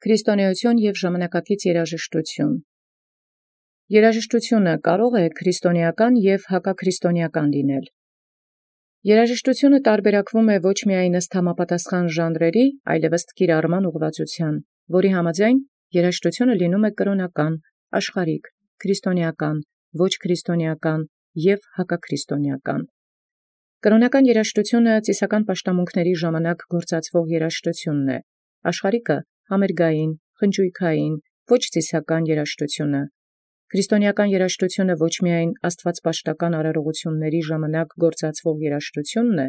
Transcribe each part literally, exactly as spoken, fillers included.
Քրիստոնեություն և ժամանակակից երաժշտություն։ Երաժշտությունը կարող է քրիստոնեական և հակաքրիստոնեական լինել։ Երաժշտությունը տարբերակվում է ոչ միայն ըստ համապատասխան ժանրերի, այլև ըստ կիրառման ուղղվածության, որի համաձայն երաժշտությունը լինում է կրոնական, աշխարհիկ, քրիստոնեական, ոչ քրիստոնեական և հակաքրիստոնեական։ Կրոնական երաժշտությունը ծիսական պաշտամունքների ժամանակ գործածվող երաժշտությունն է, աշխարհիկը համերգային, խնջույքային, ոչ ծիսական երաժշտությունը։ Քրիստոնեական երաժշտությունը ոչ միայն աստվածպաշտական արարողությունների ժամանակ գործածվող երաժշտությունն է,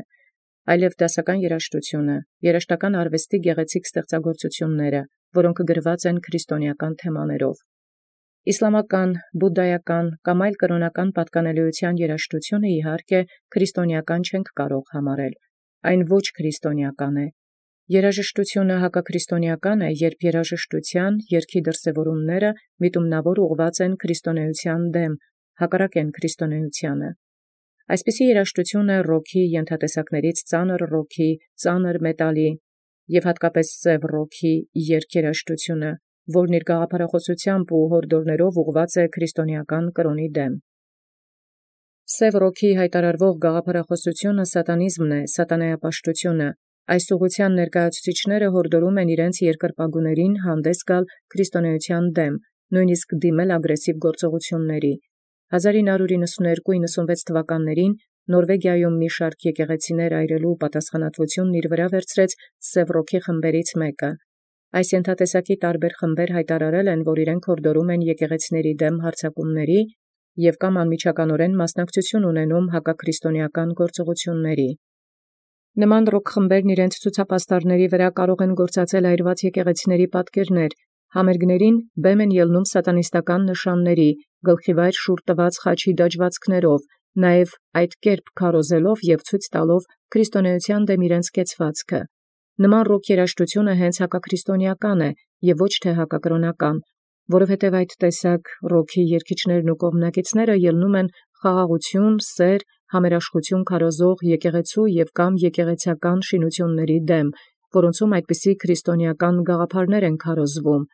այլև դասական երաժշտությունը, երաժշտական արվեստի գեղեցիկ ստեղծագործությունները, որոնք գրված են քրիստոնեական թեմաներով։ Իսլամական, բուդդայական կամ այլ կրոնական պատկանելիության երաժշտությունը իհարկե քրիստոնեական չենք կարող համարել, այն ոչ քրիստոնեական է։ Երաժշտությունը հակաքրիստոնեական է, երբ երաժշտության, երգի դրսևորումները միտումնավոր ուղղված են քրիստոնեության դեմ, հակառակ են քրիստոնեությանը։ Այսպիսի երաժշտություն է ռոքի ենթատեսակներից ծանր ռոքի, ծանր մետալի և հատկապես սև ռոքի երգերաժշտությունը, որն իր գաղափարախոսությամբ ու հորդորներով ուղղված է քրիստոնեական կրոնի դեմ։ Սև ռոքի հայտարարվող գաղափարախոսությունը սատանիզմն է, սատանայապաշտությունը։ Այս ուղղության ներկայացուցիչները հորդորում են իրենց երկրպագուներին հանդես գալ քրիստոնեության դեմ, նույնիսկ դիմել ագրեսիվ գործողությունների։ հազար ինը հարյուր իննսունհերկու իննսունվեց թվականներին Նորվեգիայում մի շարք եկեղեցիներ այրելու պատասխանատվությունն իր վրա վերցրեց սև ռոքի խմբերից մեկը։ Այս ենթատեսակի տարբեր խմբեր հայտարարել են, որ իրենք հորդորում են եկեղեցիների դեմ հարձակումների և կամ անմիջականորեն մասնակցություն ունենում հակաքրիստոնեական գործողությունների։ Նման ռոք խմբերն իրենց ցուցապաստառների վրա կարող են գործածել այրված եկեղեցիների պատկերներ, համերգներին բեմ են ելնում սատանիստական նշանների, գլխիվայր շուռ տված խաչի դաջվածքներով, նաև այդ կերպ քարոզելով և ցույց տալով քրիստոնեության դեմ իրենց կեցվածքը։ Նման ռոք երաժշտությունը հենց հակաքրիստոնեական է և ոչ թե հակակրոնական, որովհետև այդ տեսակ ռոքի երգիչներն ու կողմնակիցները ելնում են խաղաղություն, սեր, համերաշխություն քարոզող եկեղեցու և կամ եկեղեցական շինությունների դեմ, որոնցում այդպիսի քրիստոնեական գաղափարներ են քարոզվում։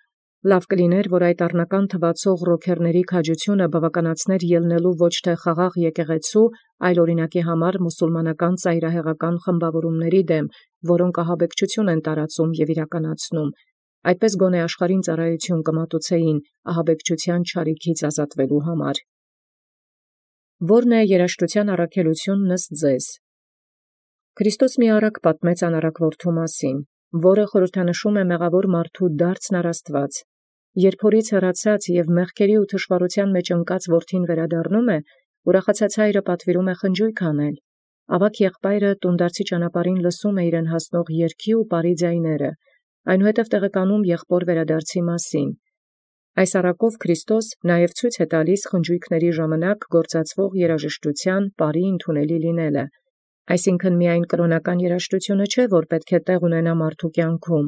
Լավ կլիներ, որ այդ առնական թվացող ռոքերների քաջությունը բավականացներ ելնելու ոչ թե խաղաղ եկեղեցու, այլ օրինակի համար մուսուլմանական ծայրահեղական խմբավորումների դեմ, որոնք ահաբեկչություն են տարածում և իրականացնում, այդպես գոնե աշխարհին ծառայություն կմատուցեին ահաբեկչության չարիքից ազատվելու համար։ Ո՞րն է երաժշտության առաքելությունն ըստ ձեզ։ Քրիստոս մի առակ պատմեց անառակ որդու մասին, որը խորհրդանշում է մեղավոր մարդու դարձն առ Աստված։ Երբ հորից հեռացած և մեղքերի ու թշվառության մեջ ընկած որդին վերադառնում է, ուրախացած հայրը պատվիրում է խնջույք անել։ Ավագ եղբայրը տունդարձի ճանապարհին լսում է իրեն հասնող երգի ու պարի ձայները, այնուհետև տեղեկանում եղբոր վերադարձի մասին։ Այս առակով Քրիստոս նաև ցույց է տալիս խնջույքների ժամանակ գործածվող երաժշտության պարի ընդունելի լինելը։ Այսինքն միայն կրոնական երաժշտությունը չէ, որ պետք է տեղ ունենա մարդու կյանքում։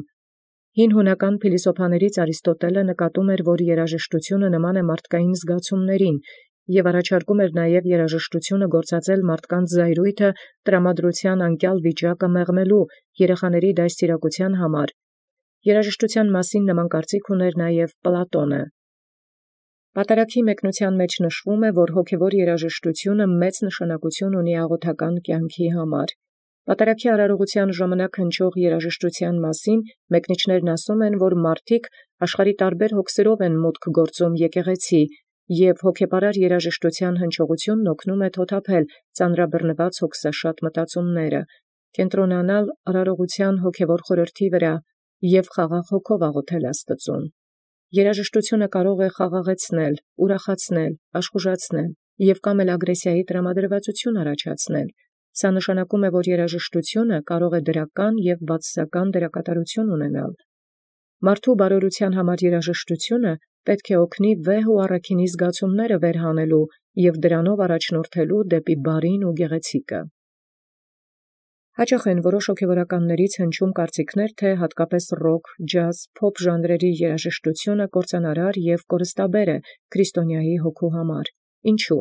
Հին հունական փիլիսոփաներից Արիստոտելը նկատում էր, որ երաժշտությունը նման է մարդկային զգացումներին և առաջարկում էր նաև երաժշտությունը գործածել մարդկանց զայրույթը տրամադրության անկյալ վիճակը մեղմելու երեխաների դաստիարակության համար։ Երաժշտության մասին նման կարծիք ուներ նաև Պլատոնը։ Պատարագի մեկնության մեջ նշվում է, որ հոգևոր երաժշտությունը մեծ նշանակություն ունի աղոթական կյանքի համար։ Պատարագի արարողության ժամանակ հնչող երաժշտության մասին մեկնիչներն ասում են, որ մարդիկ աշխարհի տարբեր հոգսերով են մուտք գործում եկեղեցի, և հոգեպարար երաժշտության հնչողությունն օգնում է թոթափել ծանրաբեռնված հոգսաշատ մտածումները, կենտրոնանալ արարողության հոգևոր խորհրդի վրա և խաղաղ հոգով աղոթել Աստծուն։ Երաժշտությունը կարող է խաղաղեցնել, ուրախացնել, աշխուժացնել և կամ էլ ագրեսիայի տրամադրվածություն առաջացնել։ Սա նշանակում է, որ երաժշտությունը կարող է դրական և բացասական դերակատարություն ունենալ։ Մարդու բարօրության համար երաժշտությունը պետք է օգնի վեհ ու առաքինի զգացումները վերհանելու և դրանով առաջնորդելու դեպի բարին ու գեղեցիկը։ Հաճախ են որոշ հոգևորականներից հնչում կարծիքներ, թե հատկապես ռոք, ջազ, փոփ ժանրերի երաժշտությունը կործանարար և կորստաբեր է քրիստոնյայի հոգու համար։ Ինչու՞։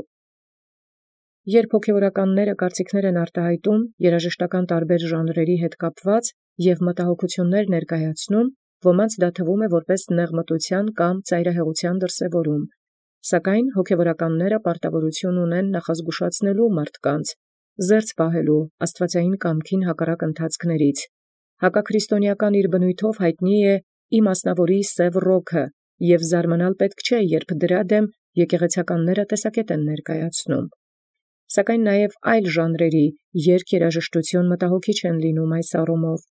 Երբ հոգևորականները կարծիքներ են արտահայտում երաժշտական տարբեր ժանրերի հետ կապված և մտահոգություններ ներկայացնում, ոմանց դա թվում է որպես նեղմտութեան կամ ծայրահեղութեան դրսևորում, սակայն հոգևորականները պարտավորություն ունեն նախազգուշացնելու մարդկանց, զերծ պահելու աստուածային կամքին հակառակ ընթացքներից։ Հակաքրիստոնեական իր բնույթով յայտնի է իմասնաւորի սև ռոքը, եւ զարմանալ պետք չէ, երբ դրա դեմ եկեղեցականները տեսակետ են ներկայացնում։ Սակայն նաև այլ ժանրերի երգ երաժշտություն մտահոգիչ են լինում այս առումով։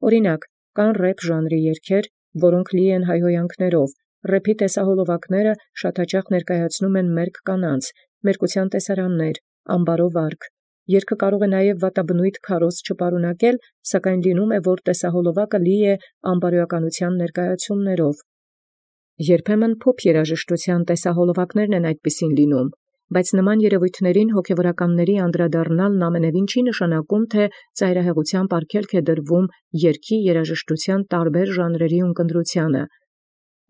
Օրինակ, կան ռեփ ժանրի երգեր, որոնք լի են հայհոյանքներով, ռեփի տեսահոլովակները շատ հաճախ ներկայացնում են մերկ կանանց, մերկության տեսարաններ, ամբարովարք։ Երգը կարող է նաև վատաբնույթ քարոզ չպարունակել, սակայն լինում է, որ տեսահոլովակը լի է ամբարոյականության ներկայացումներով։ Երբեմն փոփ երաժշտության տեսահոլովակներն են այդպիսին լինում, բայց նման երևույթներին հոգևորականների անդրադառնալն ամենևին չի նշանակում, թե ծայրահեղութեամբ արգելք է դրվում երգի երաժշտության տարբեր ժանրերի ունկնդրությանը։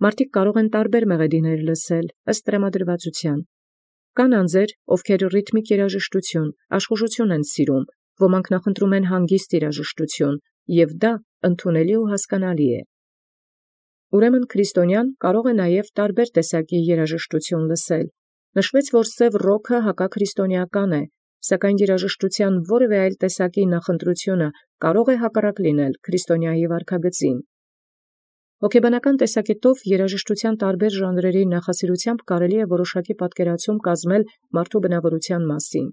Մարդիկ կարող են տարբեր մեղեդիներ լսել ըստ տրամադրվածության։ Կան անձեր, ովքեր ռիթմիկ երաժշտություն, աշխուժություն են սիրում, ոմանք նախընտրում են հանգիստ երաժշտություն, եւ դա ընդունելի ու հասկանալի է։ Ուրեմն քրիստոնյան կարող է նաև տարբեր տեսակի երաժշտություն լսել։ Նշվեց, որ սև ռոքը հակաքրիստոնեական է, սակայն երաժշտության որևէ այլ տեսակի նախընտրությունը կարող է հակառակ լինել քրիստոնեայի վարքագծին։ Հոգեբանական տեսակետով երաժշտության տարբեր ժանրերի նախասիրությամբ կարելի է որոշակի պատկերացում կազմել մարդու բնավորության մասին։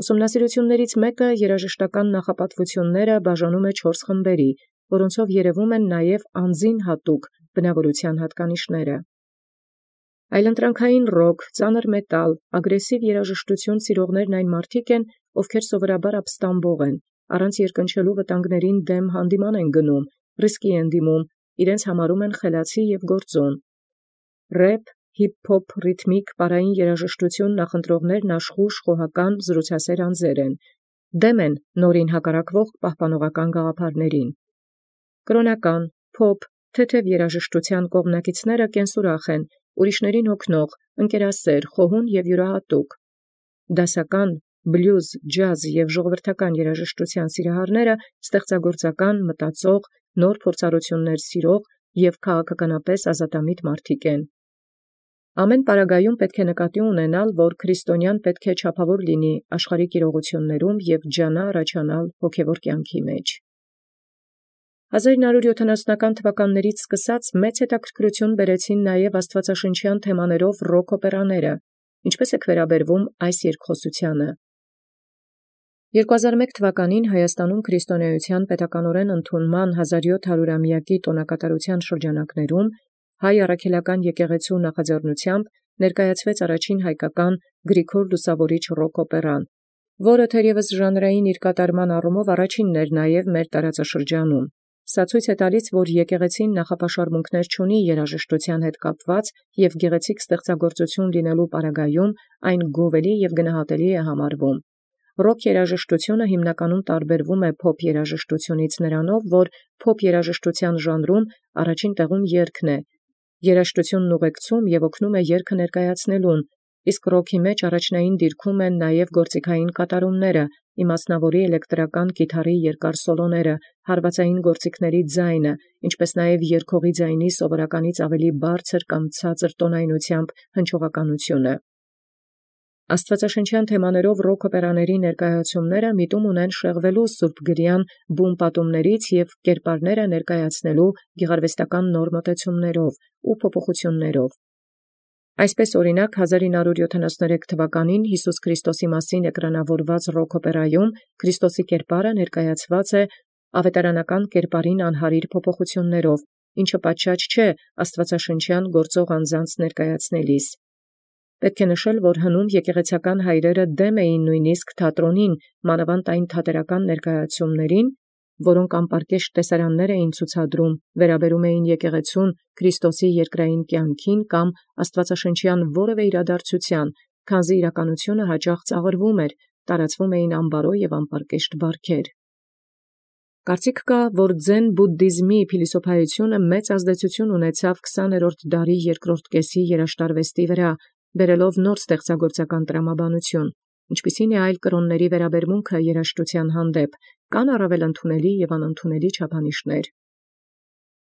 Ուսումնասիրություններից մեկը երաժշտական նախապատվությունները բաժանում է չորս խմբերի, որոնցով երևում են նաև անձին հատուկ բնավորության հատկանիշները։ Այլընտրանքային ռոք, ծանր մետալ, ագրեսիվ երաժշտություն սիրողներն այն մարդիկ են, ովքեր սովորաբար ապստամբող են, առանց երկնչելու վտանգներին դեմ հանդիման են գնում, ռիսկի են դիմում, իրենց համարում են խելացի և գործոն։ Ռեփ, հիփ-հոփ ռիթմիկ պարային երաժշտություն նախընտրողներն աշխուժ, խոհական, զրուցասեր անձեր են, դեմ են նորին հակառակվող պահպանողական գաղափարներին։ Կրոնական, փոփ, թեթև երաժշտության կողմնակիցները կենսուրախ են, ուրիշներին հոգնող, ընկերասեր, խոհուն և յուրահատուկ։ Դասական, բլյուզ, ջազ և ժողովրդական երաժշտության սիրահարները ստեղծագործական, մտածող, նոր փորձառություններ սիրող և քաղաքականապես ազատամիտ մարդիկ են։ Ամեն պարագայում պետք է նկատի ունենալ, որ քրիստոնյան պետք է չափավոր լինի աշխարհիկ իրողություններում և ջանա առաջանալ հոգևոր կյանքի մեջ։ հազար նոյ հարյուր յոթանասունական թվականներից սկսած մեծ հետաքրքրություն բերեցին նաև աստվածաշնչյան թեմաներով ռոք օպերաները, ինչպես է վերաբերվում այս երկխոսությանը։ երկու հազար և մեկ թվականին Հայաստանում քրիստոնեության պետականորեն ընդունման հազար յոթ հարյուրամյակի տոնակատարության շրջանակներում հայ առաքելական եկեղեցու նախաձեռնությամբ ներկայացվեց առաջին հայկական Գրիգոր Լուսավորիչ ռոք օպերան, որը թերևս ժանրային իր կատարման առումով առաջինն էր նաև մեր տարածաշրջանում։ Սա ցույց է տալիս, որ եկեղեցին նախապաշարմունքներ չունի երաժշտության հետ կապված և գեղեցիկ ստեղծագործություն լինելու պարագայում այն գովելի և գնահատելի է համարվում։ Ռոք երաժշտությունը հիմնականում տարբերվում է փոփ երաժշտությունից նրանով, որ փոփ երաժշտության ժանրում առաջին տեղում երգն է, երաժշտությունն ուղեկցում և օգնում է երգը ներկայացնելուն, իսկ ռոքի մեջ առաջնային դիրքում են նաև գործիքային կատարումները, իմասնավորի էլեկտրական կիթառի երկար սոլոները, հարվածային գործիքների ձայնը, ինչպես նաև երգողի ձայնի սովորականից ավելի բարձր կամ ցածր տոնայնությամբ հնչողականությունը։ Աստվածաշնչյան թեմաներով ռոք օպերաների ներկայացումները միտում ունեն շեղվելու սուրբգրյան բուն պատումներից և կերպարները ներկայացնելու գեղարվեստական նոր մոտեցումներով ու փոփոխություններով։ Այսպես օրինակ հազար նոյ հարյուր յոթանասուներեք թվականին Յիսուս Քրիստոսի մասին էկրանավորված ռոք օպերայում Քրիստոսի կերպարը ներկայացված է ավետարանական կերպարին անհարիր փոփոխություններով, ինչը պատշաճ չէ աստվածաշնչյան գործող անձանց ներկայացնելիս։ Պետք է նշել, որ հնում եկեղեցական հայրերը դեմ էին նույնիսկ թատրոնին, մանավանդ այն թատերական ներկայացումներին, որոնք անպարկեշտ տեսարաններ էին ցուցադրում, վերաբերում էին եկեղեցուն, Քրիստոսի երկրային կյանքին կամ աստվածաշնչյան որևէ իրադարձութեան, քանզի իրականությունը հաճախ ծաղրվում էր, տարածվում էին ամբարո և անպարկեշտ բարբառեր։ Կարծիք կա, որ ձեն բուդդիզմի փիլիսոփայությունը մեծ ազդեցություն ունեցավ քսաներորդ դարի երկրորդ կեսի երաժշտարվեստի վրա, բերելով նոր ստեղծագործական տրամաբանություն, ինչպիսին է այլ կրոնների վերաբերմունքը երաժշտության հանդեպ, կան առավել ընդունելի և անընդունելի չափանիշներ։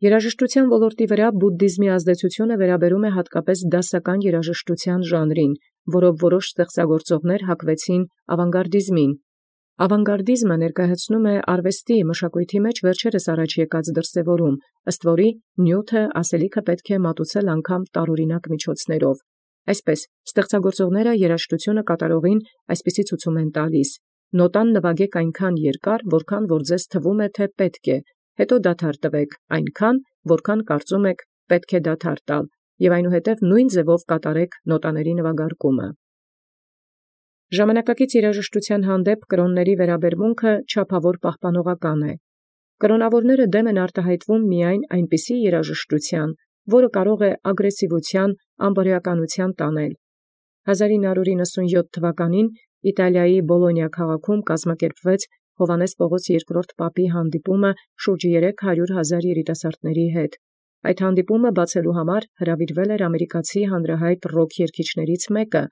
Երաժշտութեան ոլորտի վրա բուդդիզմի ազդեցութիւնը վերաբերում է հատկապես դասական երաժշտութեան ժանրին, որով որոշ ստեղծագործողներ հակվեցին ավանգարդիզմին։ Ավանգարդիզմը ներկայացնում է արվեստի մշակույթի մեջ վերջերս առաջ եկած դրսևորում, ըստ որի նյութը ասելիքը պետք է մատուցել անգամ տարօրինակ միջոցներով։ Այսպես ստեղծագործողները երաժշտությունը կատարողին այսպիսի ցուցում են տալիս. նոտան նվագեք այնքան երկար, որքան որ ձեզ թվում է, թե պետք է, հետո դադար տվեք այնքան, որքան կարծում եք պետք է դադար տալ, եւ այնուհետև նույն ձևով կատարեք նոտաների նվագարկումը։ Ժամանակակից երաժշտութեան հանդեպ կրոնների վերաբերմունքը չափավոր պահպանողական է։ Կրոնավորները դեմ են արտահայտվում միայն այնպիսի երաժշտութեան, որը կարող է ագրեսիվութեան, անբարոյականութեան տանել։ հազար ինը հարյուր նվութենապատասխան թվականին Իտալիայի Բոլոնիա քաղաքում կազմակերպվեց Հովհաննես Պաւղոս երկրորդ պապի հանդիպումը շուրջ երեք հարյուր հազար երիտասարդների հետ։ Այդ հանդիպումը բացելու համար հրավիրվել էր ամերիկացի հանրահայտ ռոք երգիչներից մեկը,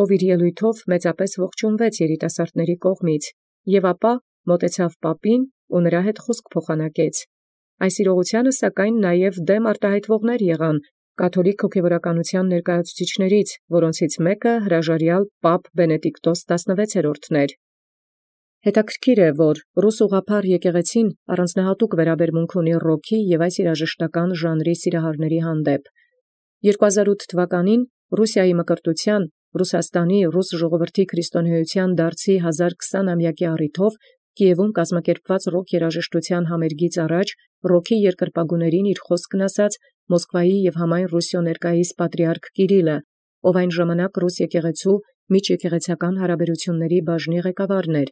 ով իր ելոյթով մեծապես ողջունվեց երիտասարդների կողմից, եւ ապա մոտեցավ պապին ու նրա հետ խոսք փոխանակեց։ Այս իրողությանը սակայն նաև դեմ արտահայտվողներ եղան կաթոլիկ հոգևորականության ներկայացուցիչներից, որոնցից մեկը հրաժարյալ պապ Բենեդիկտոս տասնվեցերորդն էր։ Հետաքրքիր է, որ ռուս ուղղափառ եկեղեցին առանձնահատուկ վերաբերմունք ունի ռոքի եւ այս երաժշտական ժանրի սիրահարների հանդեպ։ երկու հազար ութ թվականին Ռուսիայի մկրտության, Ռուսաստանի ռուս ժողովրդի քրիստոնեության դարձի հազար քսանամյակի առիթով Կիևում կազմակերպված ռոք երաժշտության համերգից առաջ ռոքի երկրպագուներին իր խոսքն ասաց Մոսկվայի եւ համայն Ռուսիո ներկայիս պատրիարք Կիրիլը, ով այն ժամանակ ռուս եկեղեցու միջեկեղեցական հարաբերությունների բաժնի ղեկավարն էր։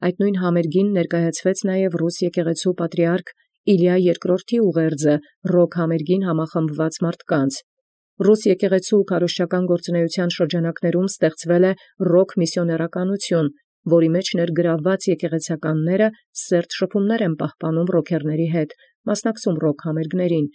Այդ նույն համերգին ներկայացվեց նաև ռուս եկեղեցու պատրիարք Իլիա երկրորդի ուղերձը ռոք համերգին համախմբված մարդկանց։ Ռուս եկեղեցու քարոզչական գործունեության շրջանակներում ստեղծվել է ռոք միսիոներականություն, որի մեջ ներգրավված եկեղեցականները սերտ շփումներ են պահպանում ռոքերների հետ, մասնակցում ռոք համերգներին։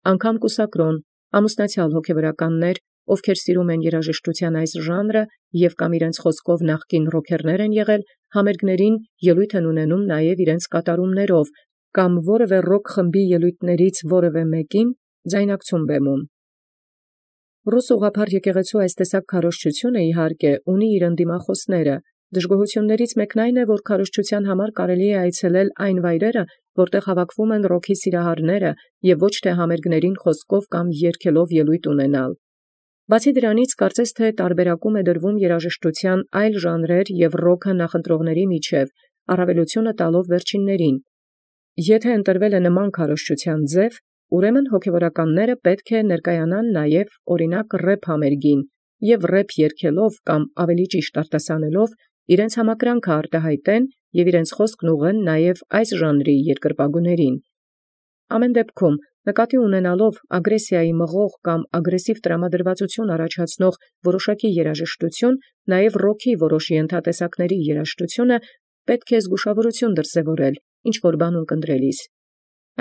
Անգամ կուսակրոն, ամուսնացյալ հոգևորականներ, ովքեր սիրում են երաժշտության այս ժանրը եւ կամ իրենց խոսքով նախկին ռոքերներ են եղել, համերգներին ելույթ են ունենում նաև իրենց կատարումներով կամ որևէ ռոք խմբի ելույթներից որևէ մեկին ձայնակցում բեմում։ Ռուս ուղղափառ եկեղեցու այս տեսակ քարոզչությունը իհարկե ունի իր ընդդիմախոսները։ Դժգոհություններից մեկն այն է, որ քարոզչության համար կարելի է այցելել այն վայրերը, որտեղ հավաքվում են ռոքի սիրահարները եւ ոչ թե համերգներին խոսքով կամ երգելով ելույթ ունենալ։ Բացի դրանից, կարծես թե տարբերակում է դրվում երաժշտության այլ ժանրեր եւ ռոքը նախընտրողների միջև, առավելությունը տալով վերջիններին։ Եթե ընտրվել է նման քարոզչության ձև, ուրեմն հոգևորականները պետք է ներկայանան նաև օրինակ ռեփ համերգին եւ ռեփ երգելով կամ ավելի ճիշտ արտասանելով իրենց համակրանքը արտահայտեն եւ իրենց խոսքն ուղղեն նաև այս ժանրի երկրպագուներին։ Ամեն դեպքում նկատի ունենալով ագրեսիայի մղող կամ ագրեսիվ տրամադրվածություն առաջացնող որոշակի երաժշտություն, նաև ռոքի որոշ ենթատեսակների երաժշտությունը պետք է զգուշավորություն դրսևորել, ինչ որ բան ունկնդրելիս։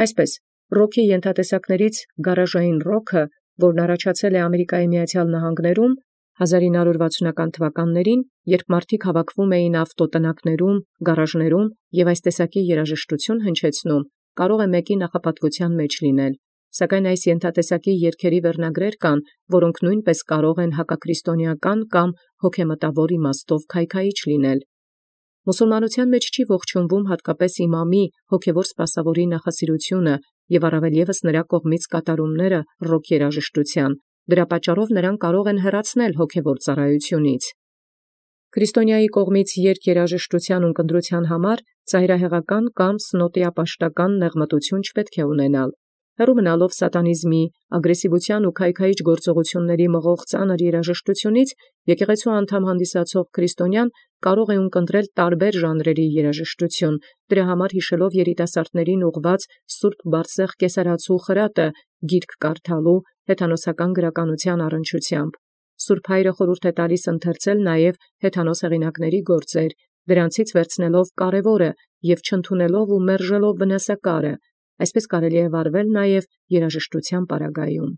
Այսպես, ռոքի ենթատեսակներից գարաժային ռոքը, որն առաջացել է Ամերիկայի Միացյալ Նահանգներում հազար ինը հարյուր վաթսունական թվականներին, երբ մարդիկ հավաքվում էին ավտոտնակներում, գարաժներում եւ այս տեսակի երաժշտություն հնչեցնում, կարող է մեկի նախապատվության մեջ լինել։ Սակայն այս ենթատեսակի երգերի վերնագրեր կան, որոնք նույնպես կարող են հակաքրիստոնեական կամ հոգեմտավոր իմաստով քայքայիչ լինել։ Մուսուլմանության մեջ չի ողջունվում հատկապես իմամի հոգևոր սպասավորի նախասիրությունը եւ առավել ևս նրա կողմից կատարումները ռոք երաժշտության։ Դրա պատճառով նրան կարող են հեռացնել հոգևոր ծառայությունից։ Քրիստոնյայի կողմից երգ երաժշտության ունկնդրության համար ծայրահեղական կամ սնոտիապաշտական նեղմտություն չպետք է ունենալ։ Հեռու մնալով սատանիզմի, ագրեսիվության ու քայքայիչ գործողությունների մղող ծանր երաժշտությունից, եկեղեցու անդամ հանդիսացող քրիստոնյան կարող է ունկնդրել տարբեր ժանրերի երաժշտություն, դրա համար հիշելով երիտասարդներին ուղղված Սուրբ Բարսեղ կեսարացու խրատը գիրք կարդալու հեթանոսական գրականության առնչությամբ։ Սուրբ Հայրը խորհուրդ է տալիս ընթերցել նաև հեթանոս հեղինակների գործեր, դրանցից վերցնելով կարևորը եւ չընդունելով ու մերժելով վնասակարը։ Այսպես կարելի է վարվել նաև երաժշտության պարագայում։